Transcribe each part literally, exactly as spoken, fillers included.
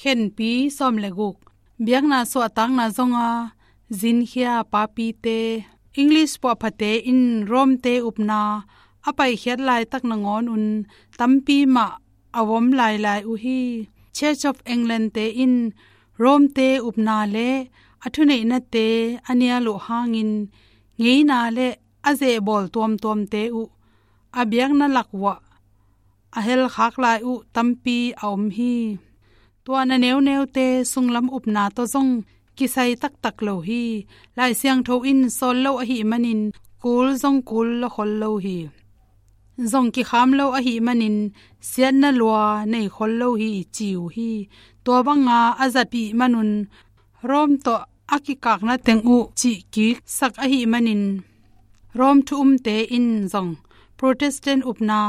Khenpi sawm le guk. Biakna suahtakna zonga zinkhia papite. English puahphate in Rome-te upna a paikhiat laitak nangawn un tampi mah a vom lailai uh hi. Church of England-te in Rome-te upna le a thuneihnate a nial uh hangin ngeina le a zehbawl tuamtuamte uh a biakna lak uah a helkhak lai uh tampi a om hi. Tua na neuneute sunglam upna tawh zong kisai taktak lo hi. Lai Siangtho in sawl lo ahih manin kul zong kul la khol lo hi. Zong kikham lo ahih manin siatna lua nei khol lo hi ci uh hi. Tua banga a zatpih manun Rome tawh a kikakna teng uh cihkiksak ahih manin Rome thu umte in zong Protestant upna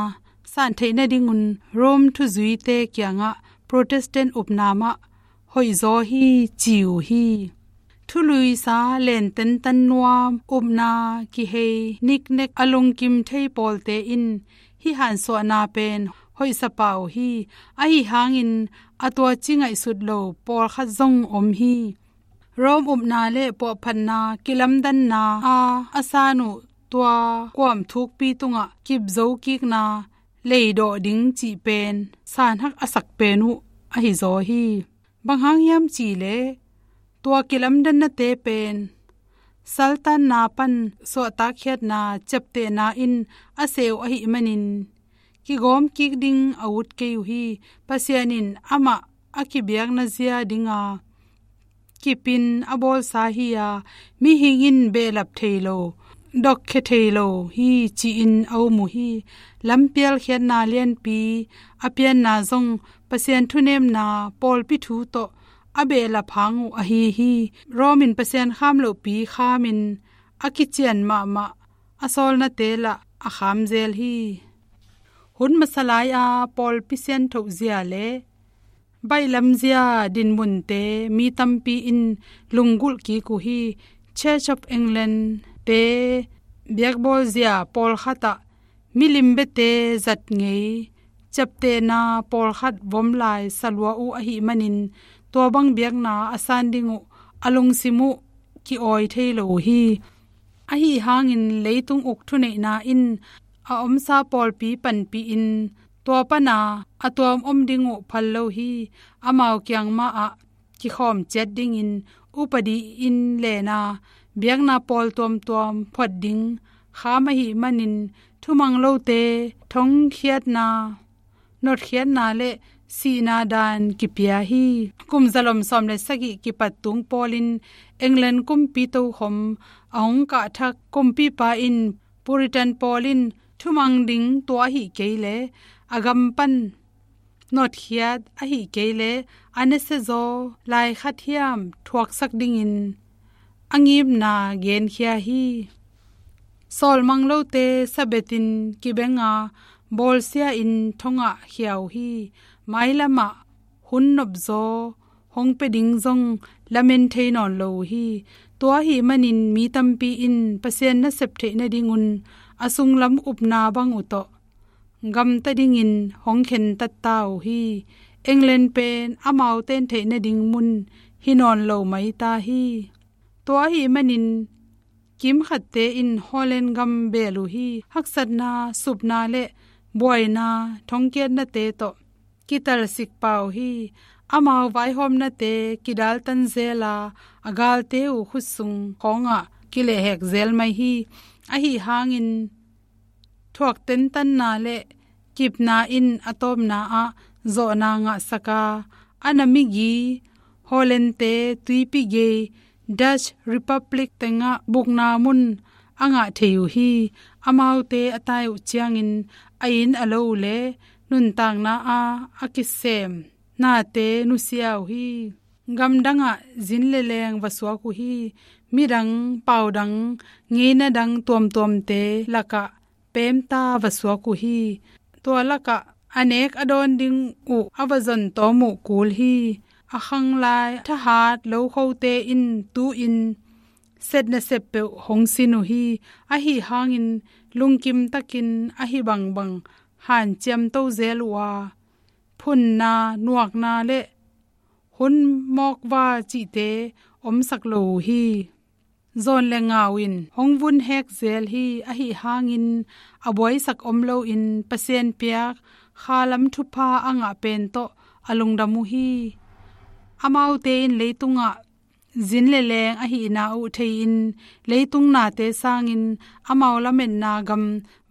san theih nadingun Rome thuzuite kiangah Protestant upna mah hoihzaw hi ci uh hi. Thuluisa lententan nuam upna kihei niknek a lungkim thei pawlte in hih hansuahna pen hoihsa pah uh hi. Ahi hangin a tuaci ngaihsut lo pawlkhat zong om hi. Rome upna le puahphatna kilamdanna a a san uh tua kuam thukpi tungah kipzo kikna leidawh ding cih pen sanhak a sak pen uh ahi zaw hi. Bang hang hiam cihleh tua kilamdannate pen saltanna pan suahtakkhiatna ciaptehna in a seh uh ahih manin kigawm kik ding a ut kei uh hi. Pasian in amah a kibiakna zia dinga kipin a bawlsa hi-a mihing in behlap thei lo, dokkhia thei lo hi ci-in a um uh hi. Lampialkhiatna lianpi a pianna zong Pasian thunemna pawlpi thu tawh a behlap hang uh ahi hi. Rome in Pasian kham lohpi khamin a kician mahmah a sawlnate lah a kham zel hi. Hun masa lai-a pawlpi sianthoh zia le baihlam zia dinmunte mi tampi in lunggulh kik uh hi. Church of England-te biakbawl zia pawlkhat ah milim biate zat ngei ciaptehna pawlkhat vom lai sa lua uh ahih manin tua bang biakna a san ding uh a lungsim uh ki-awi thei lo uh hi. Ahi hangin leitung uk thuneihna in a omsa pawlpi panpih in tua pana a tuam om ding uh phal lo hi. Amau kiang mah ah kikhawm ciat dingin upadi in lena biakna pawl tuamtuam phuat ding kham ahih manin thumang lote thongkhiatna, notkhiatna le sihna dan kipia hi. Kum zalom sawm le sagih kipat tung pawlin England kumpi tokhom a hong kahthak kumpipa in Puritan pawl in thumang ding tua ahi kei le a gam pan notkhiat ahi kei le a nasiazaw lai khat hiam thuaksak dingin a ngimna genkhia hi. Sawlmang lote sabetin kibenga bawlsia in thongah khia uh hi. Mailamah hun nopzaw hong pia ding zong lamen thei nawn lo uh hi. Tua ahih manin mi tampi in Pasian nasep theih nadingun a sunglam upna bang uh tawh gamta dingin hong khentat ta uh hi. England pen amau ten theih nading mun hi nawn lo mai ta hi. Tua ahih manin kimkhatte in Holland gam bel uh hi. Haksatna, supna le buaina thongkiatnate tawh kitalsik pah uh hi. Amau vaihawmnate kidaltan zel a, a galte uh khutsung khawngah kilehhek zel mai hi. Ahi hangin thuak tentanna le kipna in a tawpna ah zawhna ngahsak a, a na migi Holland-te tuipi gei Dutch Republic tengah bukna mun a ngah thei uh hi. Amaute a tai uh ciangin a inn a lo uh le nuntakna a a kisem nate nusia uh hi. Gamdangah zin le leng va suak uh hi. Midang, paudang, ngeina dang tuamtuamte lakah pemta va suak uh hi. Tua lakah a nek a dawn ding uh a va zon tawm uh kul hi. A khanglai thahat lokhote in tu-in setna sep peuh hong sin uh hi. Ahi hangin lungkim takin ahi bangbang hanciam to zel uh a, phunna, nuakna le hun mawkva cihte omsak lo uh hi. Zawn le ngau in hong vun hek zel hi. Ahi hangin a buaisak om loin Pasian piak khalam thupha a ngah pen tawh a lungdam uh hi. Amaute in leitungah zin le leng ahihna uh thei-in leitung nate sangin amau lametna gam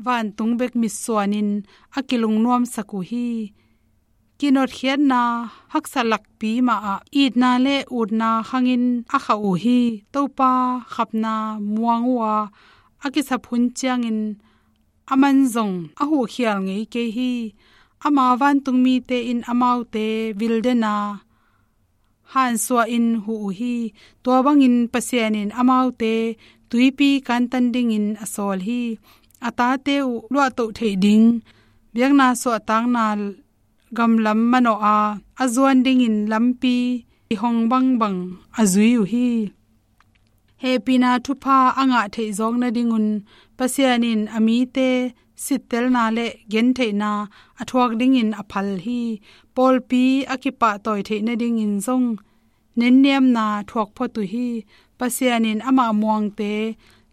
vantung bek mitsuanin a kilungnuamsak uh hi. Kinotkhiatna haksa lakpi mahah itna le utna khangin a khah uh hi. Topa khapna muang uh a, a kisap hun ciangin a man zong a huhkhial ngei kei hi. Ama vantungmite in amaute vildena hansuahin huh uh hi. Tua bangin Pasian in amaute tuipi kantan dingin a sawl hi. A tate uh luahtoh theih ding biakna suahtakna gamlam manawh a, a zuan dingin lampi i hong bangbang a zui uh hi. Hehpihna thupha a ngah theih zawk nadingun Pasian in a mite sittelna le gentheihna a thuak dingin a phal hi. Pawlpi a kipahtawi theih nadingin zong nenniamna thuak phot uh hi. Pasian in amah muangte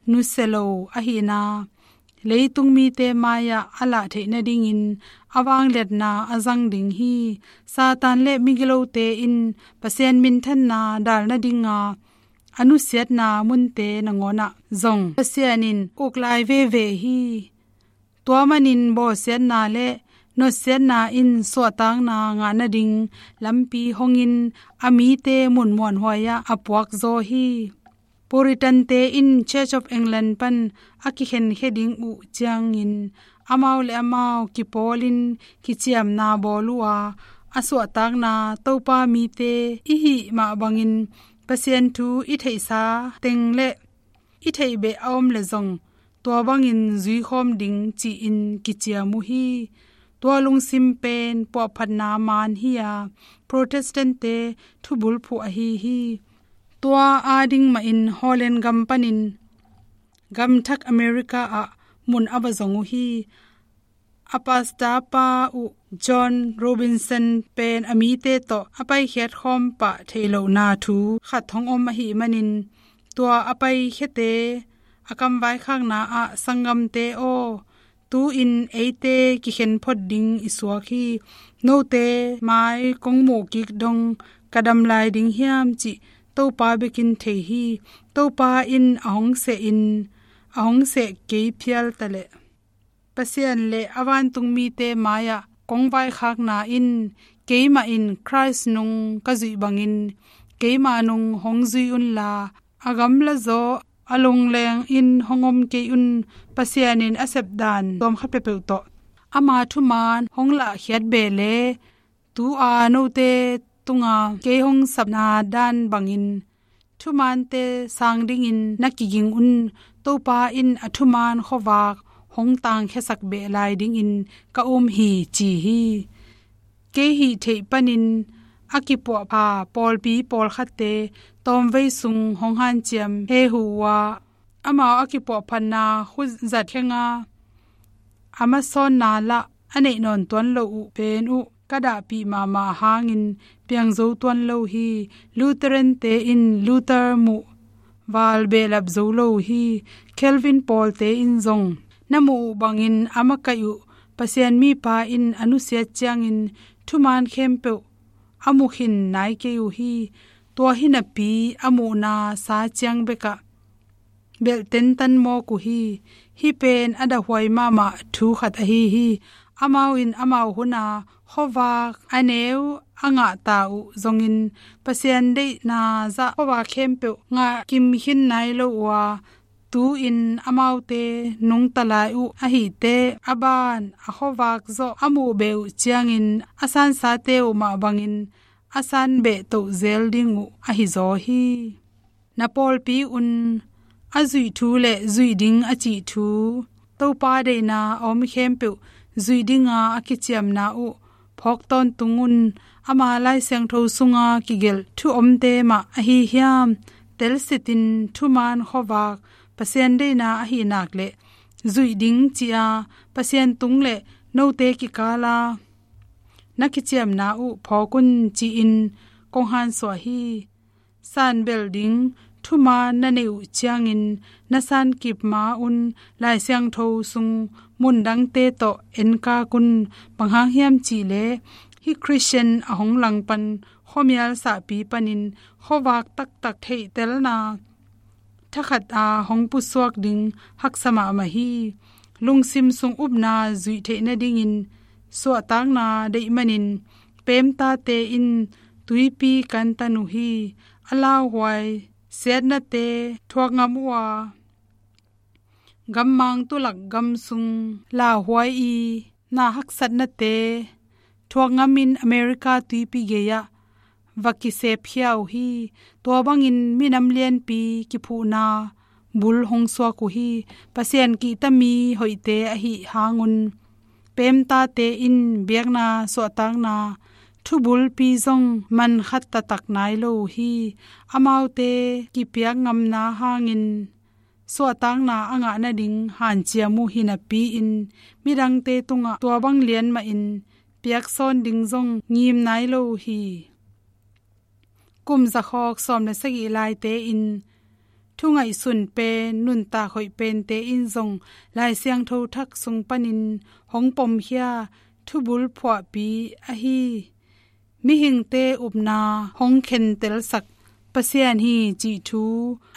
nusia lo ahihna leitung mite mai-ah a lah theih nadingin a vangliatna a zang ding hi. Satan le migilote in Pasian minthanna dal nadinga a nusiatna munte nangawnah zong Pasian in uk lai veve hi. Tua manin bawlsiatna le notsiatna in suahtakna ngah nading lampi hongin a mite mun muanhuai-ah a puakzaw hi. Puritante in Church of England pan a kikhenkhia ding uh ciangin amau le amau kipawlin kiciamna bawl uh a, a suahtakna Topa mite i hih mah bangin Pasian thu i theihsa teng le i theih beh a om le zong tua bangin zuikhawm ding ci-in kiciam uh hi. Tua lungsim pen puahphatna maan hi-a Protestant-te thubulphuh ahi hi. Tua ading mahin Holland gam panin gamthak America ah mun a va zong uh hi. A pastor pa uh John Robinson pen a mite tawh a paikhiat khawm pah theih lohna thu khat hong om ahih manin tua a paikhiate a kamvaikhakna ah, "Sanggamte aw, tu-in eite kikhen phot ding i suak hi. Note mai kong muh kik dong ka dam lai ding hiam cih Topa bekin thei hi. Topa in a hong seh in a hong seh kei phial taleh Pasian le a vantung mite mai-ah kong vaikhakna in keimah in Khrist nung ka zuih bangin keima nung hong zui unla, a gamla zaw a lungleng in hong om kei un. Pasian in a sepdan tuam khat peuhpeuh tawh ama thumaan hong lahkhiat beh le tu-a note tunga kei hong sapna dan bangin thumaante sang dingin na kiging un. Topa in a thumaan khuavak hong tangkhiasak beh lai dingin ka um hi," ci hi. Kei hih theih panin a kipuahpha pawlpi pawlkhatte tawmvei sung hong hanciam hehu uh a, amau a kipuahphatna khut zat khenga a masawnna lah a neih nawn tuan lo uh pen uh ka dahpih mahmah hangin piang zo tuan lo hi. Lutheran-te in Luther muh val behlap zo lo uh hi. Calvin pawlte in zong na muh uh bangin a makaih uh Pasian mipa in a nusiat ciangin thumaan khempeuh a mu khin nai kei uh hi. Tua hi napi a muhna sa ciang bekah belh tentan mawk uh hi. Hih pen a dahhuai mahmah thu khat ahi hi. Amau in amau huna khuavak a neu a ngahta uh zongin Pasian deihna zah khuavak khempeuh ngah kim khin nai lo uh a, tu-in amaute nungta lai uh ahih teh a ban a khuavak zawh a muh beh uh ciangin a sansate uh mah bangin a san beh toh zel ding uh ahi zaw hi. Na pawlpi un a zuih thu le zuih ding a cih thu, Topa deihna a om khempeuh zuih dinga a kiciamna uh phawk tawntung un. Ama Lai Siangtho sunga kigelh thu omte mah ahi hiam? Telsitin thumaan khuavak Pasian deihna ahi nak le zuih ding ci-a Pasian tung le note kikala na kiciamna uh phawk un ci-in kong hansuah hi. Sanbel ding thuman na neih uh ciangin na sankip ma-un Lai Siangtho sung mundangte tawh enkak un. Bang hang hiam cih leh hih Christian a hong langpan khuamial sahpi panin khuavak taktak theihtelna thakhat a hong pusuak ding haksa mahmah hi. Lungsim sung upna zuih theih nadingin suahtakna deih manin pemtate in tuipi kantan uh hi. A lauhuai siatnate thuak ngam uh a, gammang tulak gam sung lauhuai i na haksatnate thuak ngamin America tuipi gei-ah va kisepkhia uh hi. Tua bangin minam lianpi kiphuhna bul hong suak uh hi. Pasian kihta mi hoihte ahih hangun pemtate in biakna suahtakna thubulpi zong mankhat taktak nai lo uh hi. Amaute kipiak ngamna hangin suahtakna a ngah nading hanciam uh hi napi-in midangte tungah tua bang lian mahin piaksawn ding zong ngim nai lo uh hi. Kum zakhawk sawm le sagih laite in thungaihsun pen nuntak hoih pente in zong Lai Siangtho thak sung panin hong pomkhia thubul phuahpi ahi mihingte upna hong khentelsak Pasian hi cih thu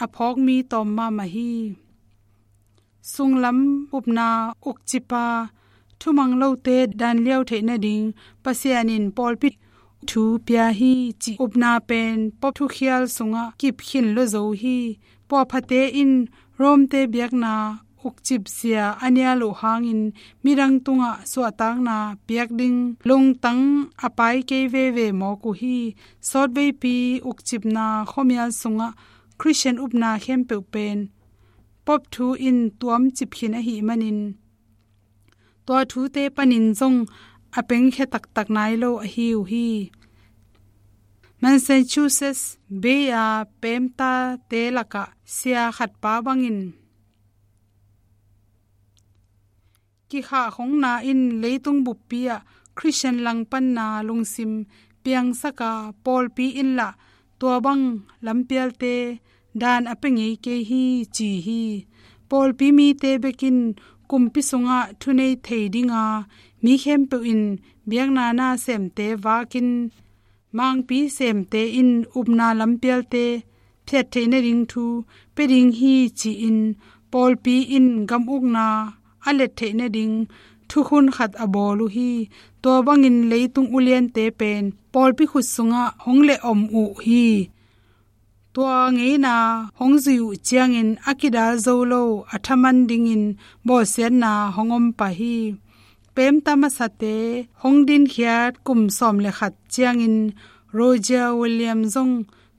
a phawk mi tawm mahmah hi. Sunglam upna ukcipa thumang lote dan liau theih nading Pasian in pawlpi thu pia hi cih upna pen Pope thukhial sungah kip khin lo zo hi. Puahphate in Rome-te biakna ukcip zia a nial uh hangin midang tungah suahtakna piak ding lungtang a pai kei veve mawk uh hi. Sawtveipi ukcipna khuamial sungah Christian upna khempeuh pen Pope thu in tuamcip khin ahih manin tua thute panin zong a pengkhia taktak nai lo ahi uh hi. Massachusetts Bay a pemtate lakah sia khatpa bangin kikhahkhongna in leitung buppi ah Christian langpanna lungsim piangsak a, pawlpi in lah tua bang lampialte dan a pia ngei kei hi ci hi. Pawlpi mite bekin kumpi sungah thunei thei dinga mi khempeuh in biakna na semte vakin mangpi semte in upna lampialte phiat theih nading thu pia ding hi ci-in pawlpi in gam ukna a let theih nading thukhun khat a bawl uh hi. Tua bangin leitung uliante pen pawlpi khut sungah hong leh om uh hi. Tua ngeina hong zui uh ciangin a kidal zo lo a thaman dingin bawlsiatna hong om pah hi. Pemta masate hong dinkhiat kum sawm le khat ciangin Roger Williams zong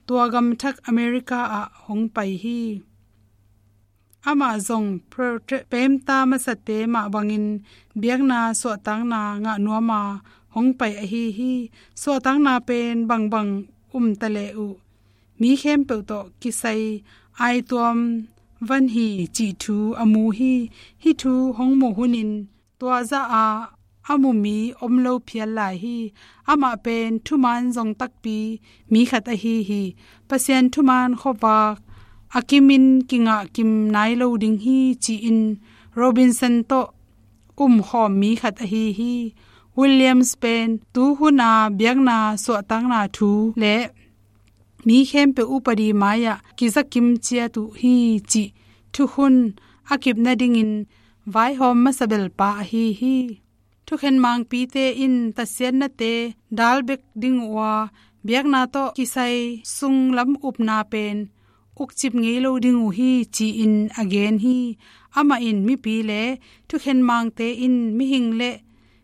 tua gamthak America ah hong pai hi. Amah zong Protestant pemta masate mah bangin biakna suahtakna ngah nuama hong pai ahi hi. Suahtakna pen bangbang um ta leh uh mi khempeuh tawh kisai aituam van hi cih thu a mu hi. Hih thu hong muh hunin tua zah a a mu mi om lo phial lai hi. Amah pen thuman zong takpi mi khat ahi hi. Pasian thuman khuavak a kimin kingah kim nai lo ding hi ci-in Robinson tawh umkhawm mi khat ahi hi. Williams pen tuhuna biakna suahtakna thu le mi khempeuh upadi mai-ah kizakim ciat uh hi cih thukhun a kip nadingin vaihawm masa belpa ahi hi. Thukhen mangpite in tatsiatnate dal bek ding uh a, biakna tawh kisai sunglam upna pen ukcip ngei lo ding uh hi ci-in a gen hi. Amah in mipi le thukhen mangte in mihing le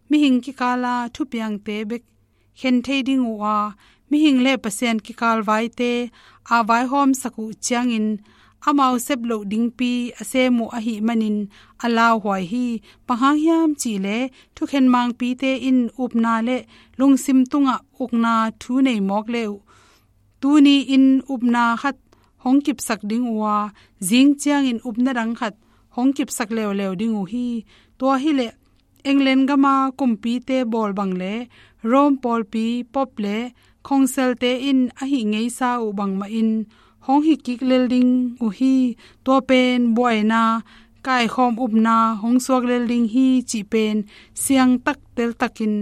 mihing kikala thupiangte bek khen thei ding uh a, mihing le Pasian kikal vaite a vaihawmsak uh ciangin amau sep loh dingpi a sem uh ahih manin a lauhuai hi. Bang hang hiam cih leh thukhen mangpite in upna le lungsim tungah ukna thu nei mawk le uh tuni-in upna khat hong kipsak ding uh a, zing ciangin upna dang khat hong kipsak leuleu ding uh hi. Tua hileh England gama kumpite bawl bang le Rome pawlpi, Pope le Khongselte in a hih ngeisa uh bangmahin hong hih kik lel ding uh hi. Tua pen buaina, kaikhawm upna hong suak lel ding hi cih pen siangtak teltakin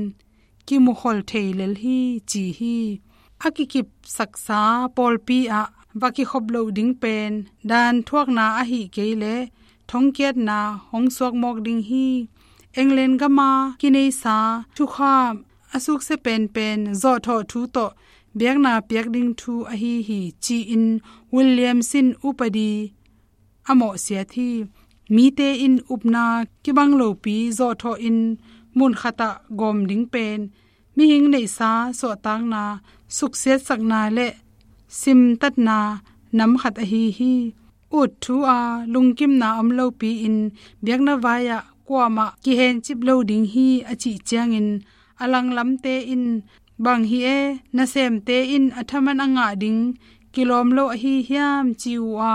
kimukhol thei lel hi, ci hi. A kikipsaksa pawlpi ah va kikhop loh ding pen daan thuakna ahih kei leh thongkiatna hong suak mawk ding hi. England gama kineisa thukham a suksia penpen zawhthawh thu tawh biakna piak ding thu ahi hi, ci-in Williams in upadi a mawhsiat hi. Mite in upna kibang lopi zawhthawh in munkhatah gawm ding pen mihing neihsa suahtakna suksiatsakna le simtatna nam khat ahi hi. Ut thu a lungkimna om lopi-in biakna vai-ah kuamah kihencip lo ding hi, a cih ciangin a langlamte in, "Bang hi e, nasemte in a thaman a ngah ding kilawm lo ahi hiam?" ci uh a,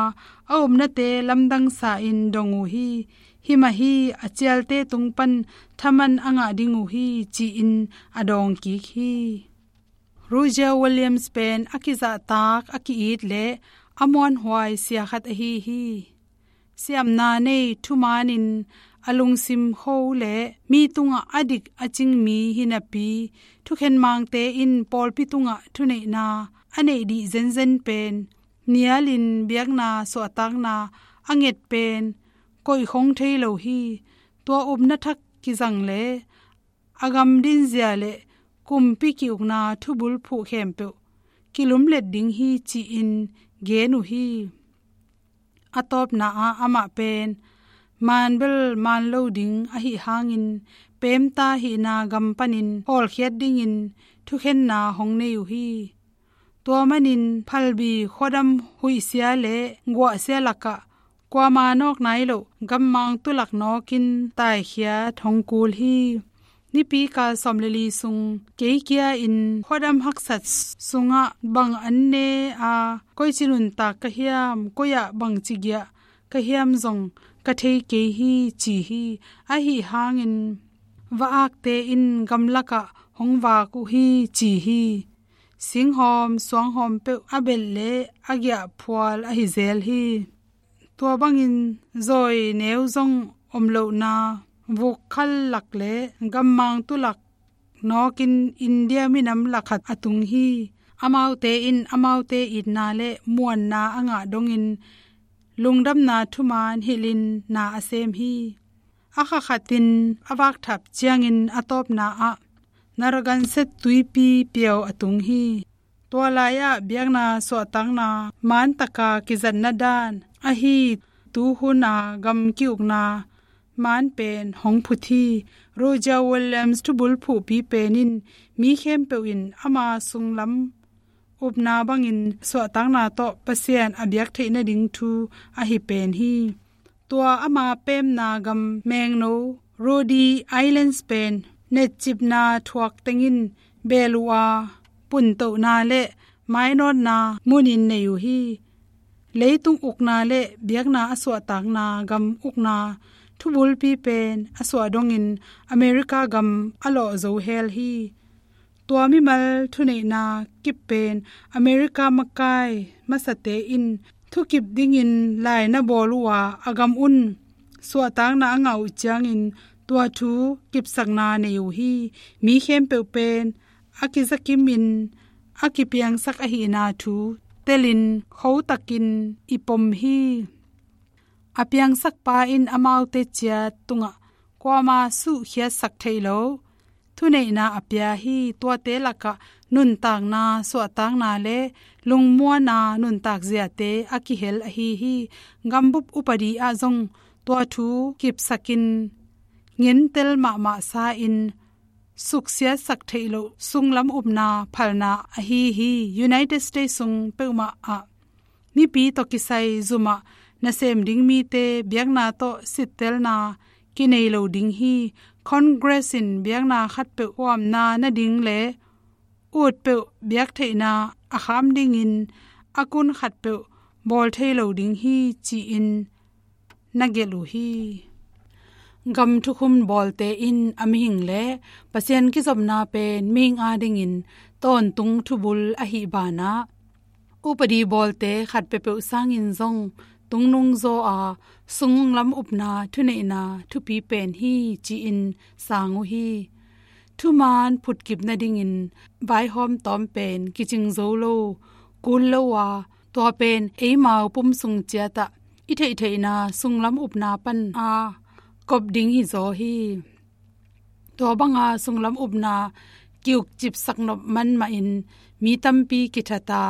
a upnate lamdangsa in dong uh hi. "Hi mah hi, a cialte tung pan thaman a ngah ding uh hi," ci-in a dawng kik hi. Roger Williams pen a kizahtak, a ki-it le a muanhuai sia khat ahi hi. Siamna nei thumanin a lungsim kho le mi tungah a dik a cing mi hi napi, thukhen mangte in pawlpi tungah thuneihna a neih dih zenzen pen nialin biakna suahtakna a nget pen koihkhong thei lo hi. Tua upna thak kizang le a gam dinzia le kumpi ki-ukna thubul phuh khempeuh kilumlet ding hi, ci-in gen uh hi. A tawpna ah amah pen maan bel maan lo ding ahih hangin pemta hihna gam panin hawlkhiat dingin thukhenna hong nei uh hi. Tua manin phalbi khuadam huihsia le guahsia lakah kuama nawk nai loh gammang tulak nawkin taikhiat hong kul hi. Nipi kal sawm le li sung kei kia in khuadam haksat sungah bang an ne a, koici nuntak ka hiam, koi-ah bangci giah ka hiam zong ka thei kei hi, ci hi. Ahi hangin va-akte in gamlakah hong vak uh hi, ci hi. Singhawm suanghawm peuh a belh le a giahphual ahi zel hi. Tua bangin zawi neu zong om lohna vukkhal lak le gammang tulak nawkin India minam lak khat a tung hi. Amaute in amaute itna le muanna a ngah dongin lungdamna thuman hilhin na a sem hi. A kha khatin a vakthap ciangin a tawpna ah Narragansett tuipi piau a tung hi. Tua lai-ah biakna suahtakna maan taka kizatna dan ahi tuhuna gam ki-ukna maan pen hong phut hi. Roger Williams thubul phuhpi pen in mi khempeuh in ama sunglam upna bangin suahtakna tawh Pasian a biak theih nading thu ahi pen hi. Tua ama pemna gam mengno Rhode Islands pen netcipna thuak tengin beel uh a, puntohna le mainawtna munin nei uh hi. Leitung ukna le biakna a suahtakna gam ukna thubulpi pen a suah dongin America gam a lawh zo hel hi. Tua mimal thuneihna kip pen America makai masate in thukip dingin lai na bawl uh a, a gam un suahtakna a ngah uh ciangin tua thu kipsakna nei uh hi. Mi khempeuh pen a kizakimin a kipiangsak ahihna thu telin khotakin i pom hi. A piangsakpa in amaute ciat tungah kuama suhkhiatsak theih lo thuneihna a pia hi. Tuate lakah nuntakna, suahtakna le lungmuana nuntak ziate a kihel ahi hi. Gambup upadi ah zong tua thu kipsakin ngentel mahmah sa-in suksiatsak theih loh sunglam upna phalna ahi hi. United States sung peuhmah ah mipi tawh kisai zumah nasem ding mite biakna tawh sittelna kinei lo ding hi. Congress in biakna khatpeuh huamna nading le ut peuh biak theihna a kham dingin a kun khatpeuh bawl thei lo ding hi, ci-in na gelh uh hi. Gam thukhun bawlte in a mihing le Pasian kizopna pen mihing adingin tawntung thubul ahih banah, upadi bawlte khat peuhpeuh sangin zong tungnung zaw a, sunglam upna thuneihna thupi pen hi ci-in sang uh hi. Thuman phutkip nadingin vaihawm tawm pen kicing zo lo, kul lo a, tua pen eimau pum sung ciatah i theihtheihna sunglam upna pan a kop ding hi zaw hi. Tua banga sunglam upna kiukcipsak nop man mahin mi tampi kithat a,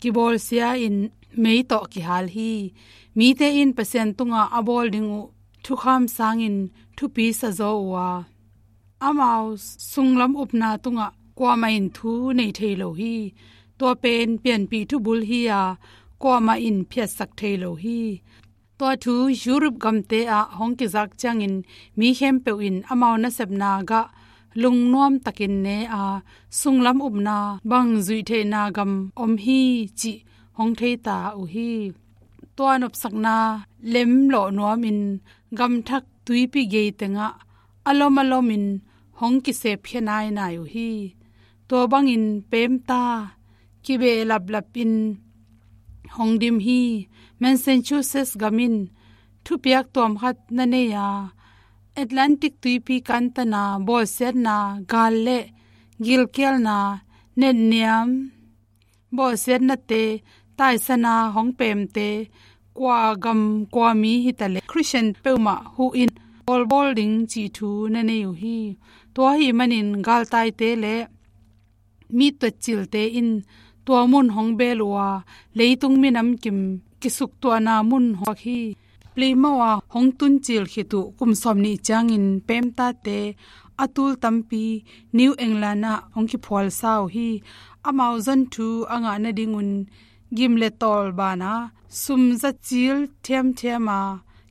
kibawlsia in mei tawh kihal hi. Mite in Pasian tungah a bawl ding uh thukham sangin thupi sa zaw uh a, amau sunglam upna tungah kuamah in thu nei thei lo hi. Tua pen pianpih thubul hi a, kuamah in phiatsak thei lo hi. Tua thu Europe gamte ah hong kizak ciangin mi khempeuh in amau nasepna gah lungnuam takin ne a, sunglam upna bang zuih theihna gam om hi cih hong theita uh hi. Tua nopsakna lemlawh nuamin gamthak tuipi gei tengah a lom a lomin hong kisep khia nainai uh hi. Tua bangin pemta kibeh laplapin hong dim hi. Massachusetts gam in thupiak tuam khat na nei a, Atlantic tuipi kantana bawlsiatna gal le gilkialna, netniam, bawlsiatnate taisana hong pemte kua gam kua mi hitaleh Christian peuhmah huhin bawlbawl ding cih thu na nei uh hi. Tua ahih manin galtaite le mi tuatcilte in tua mun hong beel uh a, leitung minam kim kisuktuahna mun hong hi. Plymouth ah hong tuncil khit uh kum sawmnih ciangin pemtate a tul tampi New England ah hong kiphualsa uh hi. Amau zon thu a ngah nadingun gim le tawl bana sum zacil thiamthiam a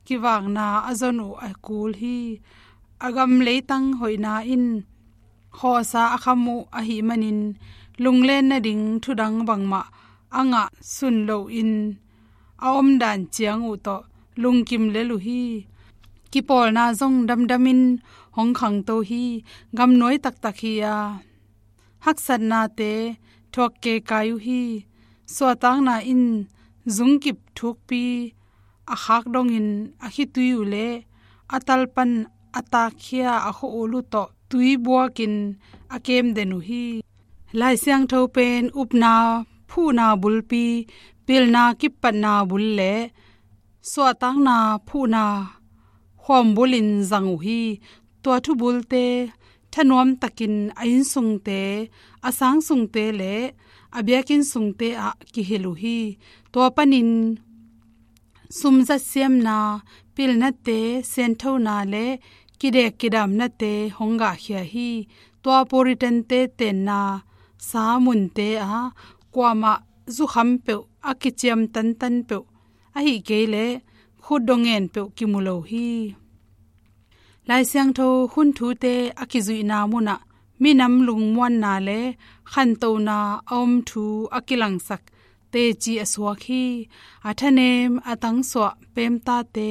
kivakna a zon uh a kul hi. A gam leitang hoihna in khawsa a kham uh ahih manin lunglen nading thudang bangmah a ngah sun loin a omdan ciang uh tawh lungkim lel uh hi. Kipawlna zong damdamin hong khangto hi. Gamnuai taktak hi a, haksatnate thuak kekai uh hi. Suahtakna in zungkip thukpi a khak dongin a khitui uh le a talpan a takkhia a khua-ul uh tawh tui buakin a kem den uh hi. Lai Siangtho pen upna phuhna bulpi, pilna kippatna bul le suahtakna phuhna khuambulin zang uh hi. Tua thubulte thanuam takin a innsungte, a sangsungte le a biakinn sungte ah kihilh uh hi. Tua panin sumzat siamna, pilnate, sianthona le kidek kidamnate hong gahkhia hi. Tua Puritante tenna sa munte ah kuamah zukham peuh, a kiciam tantan peuh, ahih kei leh khutdong ngen peuh kimu lo hi. Lai Siangtho hun thute a kizuihna munah minam lungmuanna le khantohna a om thu a kilangsak teci a suak hi. A thanem a tangsuah pemtate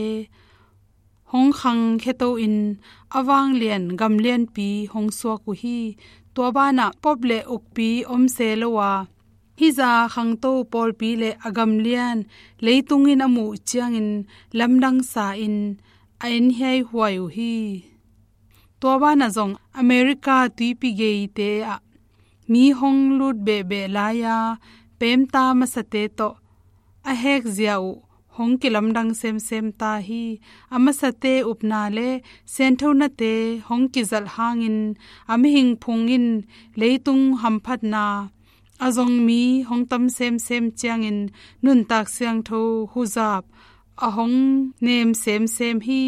hong khangkhia to-in a vanglian gamlianpi hong suak uh hi. Tua banah pop le ukpi om se lo a, hih zah khangto pawlpi le a gamlian leitung in a muh ciangin lamdang sa-in a en hiaihuai uh hi. Tua banah zong America tuipi geite ah mi hong lut behbeh lai-a pemta masate tawh a hekzia uh hong kilamdang semsem ta hi. A masate upna le sianthonate hong kizalh hangin a mihing phung in leitung hamphatna a zong mi hong tam semsem ciangin nuntak siangtho huzap a hong nem semsem hi.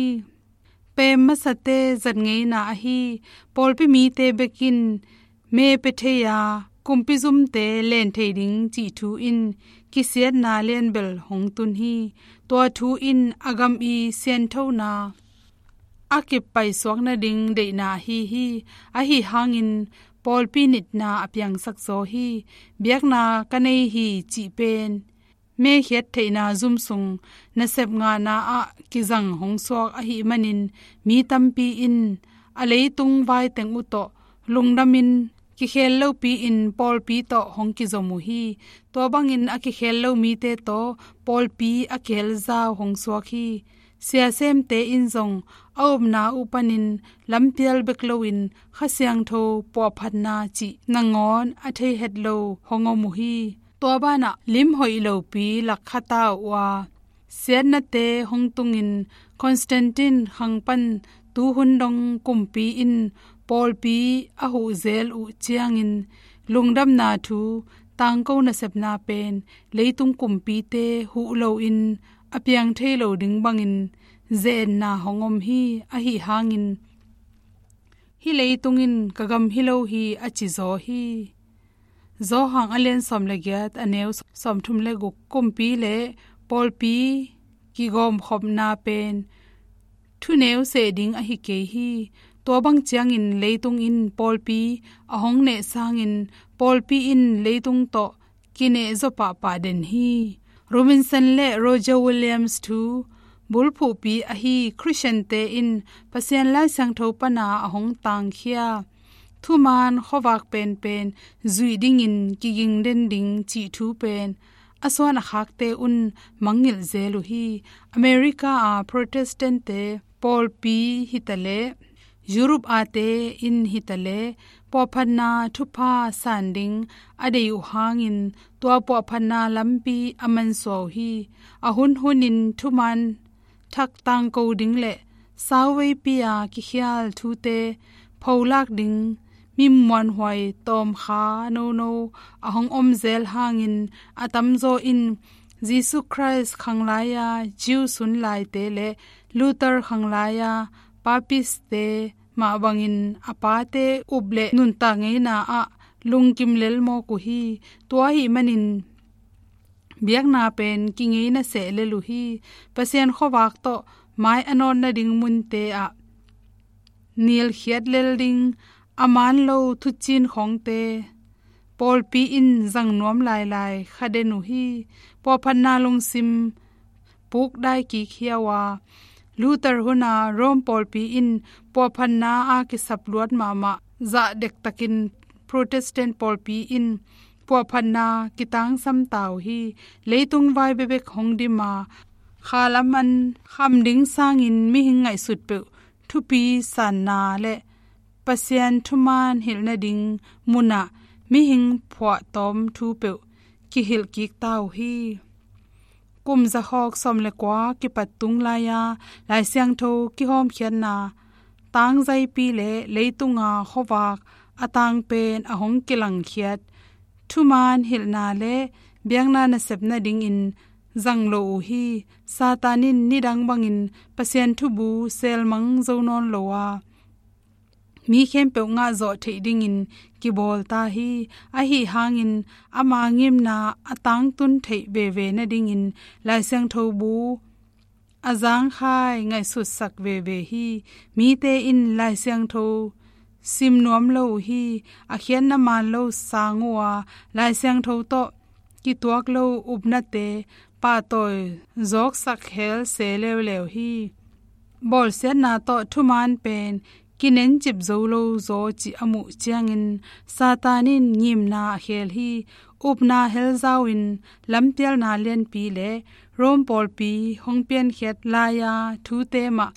Pem masate zat ngeina ahi pawlpi mite bekin me pia thei a, kumpi zumte len thei ding cih thu in kisiatna lianbel hong tun hi. Tua thu in a gam i sianthona a kippaisuak nading deihna ahi hi. Ahi hangin pawlpi nitna a piangsak zaw hi. Biakna ka nei hi cih pen mekhiat theihna zum sung nasep ngahna ah kizang hong suak ahih manin mi tampi in a leitung vai teng uh tawh lungdamin kikhel lopi-in pawlpi tawh hong kizom uh hi. Tua bangin a kikhel lo mite tawh pawlpi a kihel zau hong suak hi. Siasemte in zong a upna uh panin lampial bek loin Kha Siangtho puahphatna cih nangawn a thei het lo hong om uh hi. Tua banah lim hoih lopi lak kha ta uh a, siatnate hong tungin Constantine khang pan tuhun dong kumpi in pawlpi a huh zel uh ciangin lungdamna thu tangko nasepna pen leitung kumpite huh loin a piang thei lo ding bangin ze-etna hong om hi. Ahi hangin hih leitung in ka gam hi lo hi a ci zaw hi. Johan a lian sawm le giat a neu sawmthum le guk. Kumpi le pawlpi kigawmkhopna pen thuneu seh ding ahi kei hi. Tua bang ciangin leitung in pawlpi a hong neh sangin pawlpi in leitung tawh kineh zaw pahpah den hi. Robinson le Roger Williams thu bulphuhpi ahi Khristiante in Pasian Lai Siangtho pana a hong tangkhia thuman khuavak penpen zuih dingin kiging den ding cih thu pen a suan a khakte un mangngilh zel uh hi. America a Protestant-te pawlpi hitaleh, Europe ate in hitaleh, puahphatna thupha san ding a deih uh hangin tua puahphatna lampi a mansuah uh hi. A hunhunin thuman thak tangko ding le sauveipi a kikhial thute pholak ding mi muanhuai tawmkha nono a hong om zel hangin a tamzaw in Jesu Christ khanglaia Jew sunlaite le Luther khanglaia Papist-te mah bangin a pate up le nuntak ngeina ah lungkim lelmawk uh hi. Tua ahih manin biakna pen kingeina seh lel uh hi. Pasian khuavak tawh mai a nawt nading munte ah nilkhiat lel ding a man lo thucin khawngte pawlpi in zang nuam lailai kha den uh hi. Puahphatna lungsim pukdai kik hiau a, Luther huna Rome pawlpi in puahphatna a kisap luat mahmah zah dektakin Protestant pawlpi in puahphatna kitangsam ta uh hi. Leitung vai bekbek hong dim a, khalam an kham ding sangin mihing ngaihsut peuh thupi sanna le Pasian thuman hilh nading munah mihing phuahtawm thu peuh kihilh kik ta uh hi. Kum zakhawk sawm le kua kipat tung lai-a Lai Siangtho kihawmkhiatna tangzaipi le leitunga khuavak a tang pen a hong kilangkhiat thuman hilhna le biakna nasep nadingin zang lo uh hi. Satan in nidang bangin Pasian thubu selmang zo nawn lo a, mi khempeuh ngahzawh theih dingin kibawl ta hi. Ahi hangin ama ngimna a tangtun theih veve nadingin Lai Siangtho bu a zangkhai ngaihsutsak veve hi. Mite in Lai Siangtho sim nuam lo uh hi. A khiatna man lo sang uh a, Lai Siangtho tawh kituak lo upnate pahtawi zawksak hel se leuleu hi. Bawlsiatna tawh thuman pen kinencip zo lo zaw cih a muh ciangin Satan in ngimna a khel hi. Upna helzau in lampialna lianpi le Rome pawlpi hong piankhiat lai-a thute mah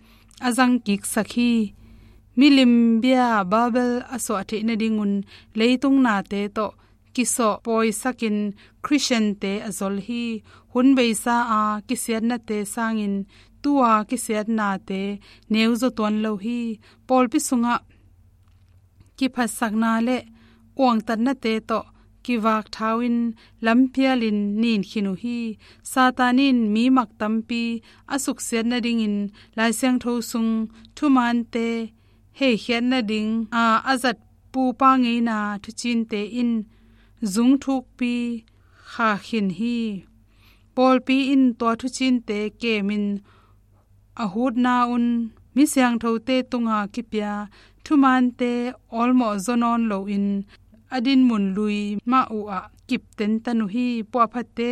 a zangkiksak hi. Milim bia Babel a suah theih nadingun leitung nate tawh kisawh pawisakin Khristiante a zol hi. Hun beisa a kisiatnate sangin tu-a kisiatnate neuzaw tuan lo hi. Pawlpi sungah kiphatsakna le uangtatnate tawh kivakthau in lampialin nin khin uh hi. Satan in mi mak tampi a suksiat nadingin Lai Siangtho sung thumante heikhiat nading a a zat pupa ngeina thucinte in zung thukpi kha khin hi. Pawlpi in tua thucinte kemin a hutna un mi siangthote tunga kipia thumante awlmawh zaw nawn loin a dinmun lui mah uh ah kip tentan uh hi. Puahphatte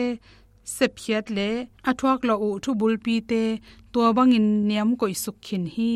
sepkhiat le a thuak loh uh thubulpite tua bangin niam koihsuk khin hi.